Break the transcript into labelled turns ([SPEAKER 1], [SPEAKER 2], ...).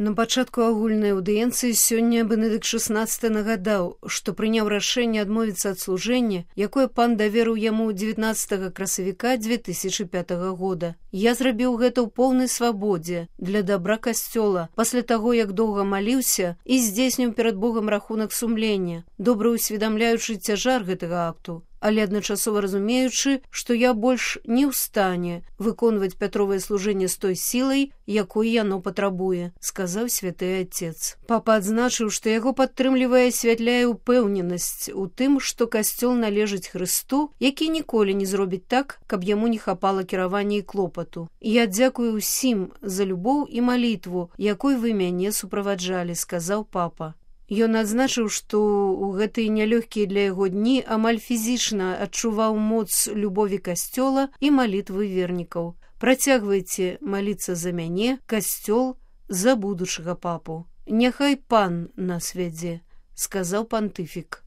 [SPEAKER 1] На пачатку агульнай аўдыенцыі сёння Бенедыкт XVI нагадаў, што прыняў рашэнне адмовіцца ад служэння, якое пан даверыў яму 19 красавіка 2005 года. Я зрабіў гэта ў поўнай свабодзе для дабра касцёла, пасля таго, як доўга маліўся і здзейсніў перад Богам рахунак сумлення, добра усведамляючы цяжар гэтага акту, але адначасова разумеючы, што я больш не ў стане выконваць Пятровае служэнне з той сілай, якой яно патрабуе, сказаў святы Отец. Папа адзначыў, што яго падтрымлівае і святляе ўпэўненасць у тым, што касцёл належыць Хрысту, які ніколі не зробіць так, каб яму не хапала кіравання і клопату. Я дзякую ўсім за любоў і малітву, якой вы мяне суправаджалі, сказаў папа. Ён адзначыў, што ў гэтыя нялёгкія для яго дні амаль фізічна адчуваў моц любові касцёла і малітвы вернікаў. Працягвайце маліцца за мяне, касцёл, за будучага папу. Няхай пан нас вядзе, сказаў пантыфік.